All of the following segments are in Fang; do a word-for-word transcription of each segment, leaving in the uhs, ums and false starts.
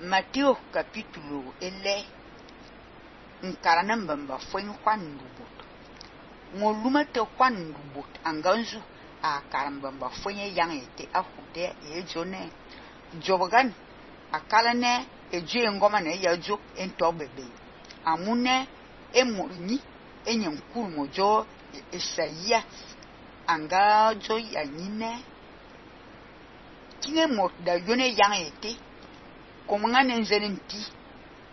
Mateo capítulo ele nkarana mbamba fwen kwan ndubot ngolumate kwan ndubot anganzu a karambamba fwen yang ete ahude ejone jobagan akalane eje ngoma ne yajo ento bebe amune emurni enyankuru mojo esaya anga jo yanyine kine mot da yone yang ete komanga nenzenti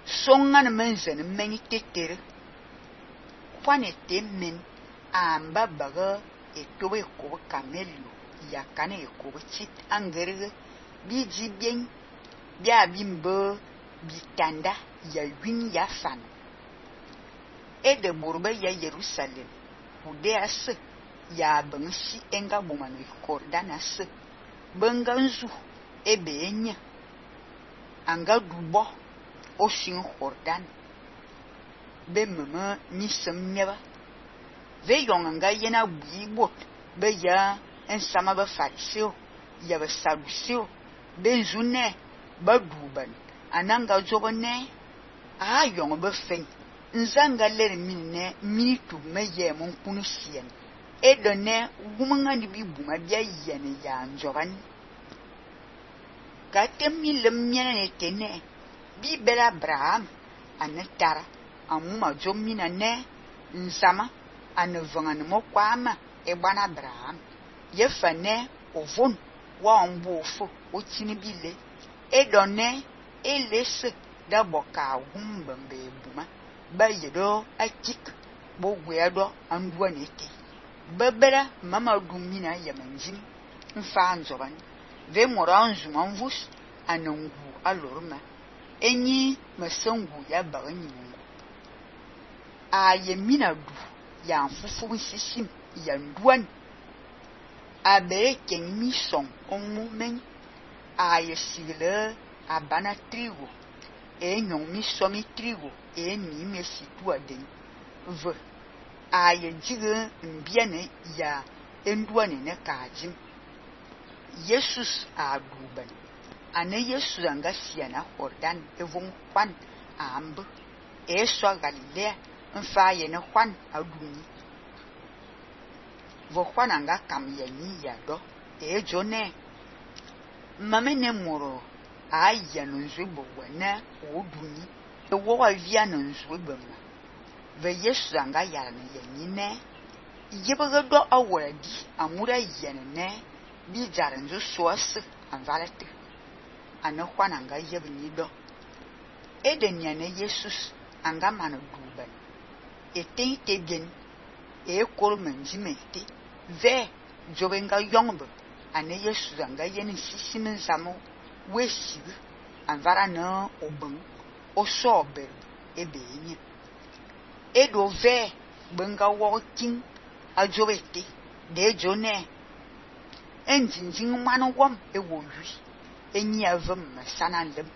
songa na menzen meni tetere kwanete men amba baga etobe ko kamelo yakane ko chit angere biji bien bia bimbo bitanda ya win ya fan e de burbe ya Jerusalem ude as ya bansi enga bomano kordanas banganzu ebe enya anga dubo osin Jordan be mama ni semnyaba ve yonganga yena buibot be ya ensama ba fariseo ya ba saduseo be zune ba duban ananga jogone a yong ba fen nzanga ler minne minitu meye mon kunisien e donne gumanga ni bibuma bia yene ya njogan katem lem nyene tene bibela Abraham anetara amuma jomina ne nsama anevanga ne mokwama e bana Abraham yefane ovon wa mbofo otini bile e donne elese da boka gumbambe buma bayedo akik bo gweado andua nete babera mama dumina yamanjin mfa nzoban ve moranzu manvus anangu alorma enyi masangu ya baganyi mungu a yemina du ya mfufu sisim ya nduan a bere kenmi son onmu men a yesile a bana trigo e nyon mi somi trigo e mi me situa den v a yejige mbiane ya enduane ne kajim Jesus a duban ane Yesu anga siana Jordan evon kwan amb e so Galilea mfa ye ne kwan aduni vo kwan anga kam ye ni ya do e jone mamene moro a ya no nzubo wana oduni e wo wa via no nzubo ma ve Yesu anga ya ne ye ni ne yeba do awadi amura ye ne bi jaranzo soas anvalete ana kwana anga yebni do edenia ne Jesus anga manu duban ete te bien e kol menjimete ve jobenga yongbo ana Jesus anga yeni sisimen samo wesi anvara no obun osober ebenye edo ve benga walking ajobete de jone enjinjin manu wom ewowi enyi avem sanalem